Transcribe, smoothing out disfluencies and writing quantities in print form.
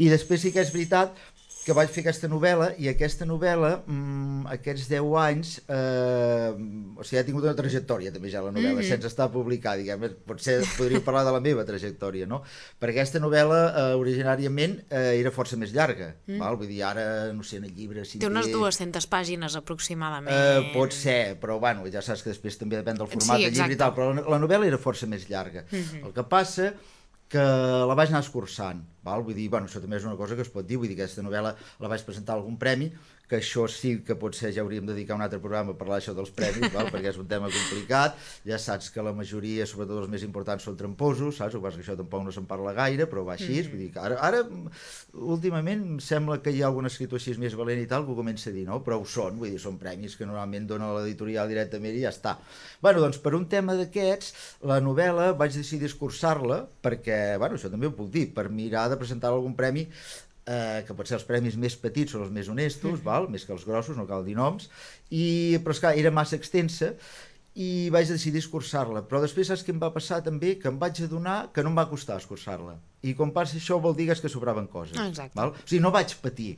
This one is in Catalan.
I després sí que és veritat que vaig fer aquesta novel·la, i aquesta novel·la, aquests 10 anys, o sigui, ha tingut una trajectòria també ja la novel·la, sense estar publicada, diguem, potser podríem parlar de la meva trajectòria, no? Perquè aquesta novel·la originàriament era força més llarga, val? Vull dir, ara, no sé, en el llibre... Si té unes 200 pàgines aproximadament. Pot ser, però bueno, ja saps que després també depèn del format del llibre i tal, però la novel·la era força més llarga. El que passa que la vaig anar escurçant, val? Vull dir, bueno, això també és una cosa que es pot dir, vull dir que aquesta novel·la la vaig presentar a algun premi, que això sí que potser ja hauríem de dedicar un altre programa a parlar d'això dels premis, val? Perquè és un tema complicat, ja saps que la majoria, sobretot els més importants, són tramposos, saps? O que això tampoc no se'n parla gaire, però va així, vull dir que ara últimament em sembla que hi ha algun escriptor així més valent i tal que ho comença a dir, no? Però ho són, vull dir, són premis que normalment dona l'editorial directament i ja està. Bueno, doncs per un tema d'aquests, la novel·la vaig decidir escurçar-la perquè, bueno, això també ho puc dir, per mirar de presentar algun premi que pot ser els premis més petits són els més honestos, val? Més que els grossos, no cal dir noms, però esclar, era massa extensa i vaig decidir escurçar-la, però després saps què em va passar també? Que em vaig adonar que no em va costar escurçar-la, i quan passa això vol dir que sobraven coses. Exacte. Val? O sigui, no vaig patir,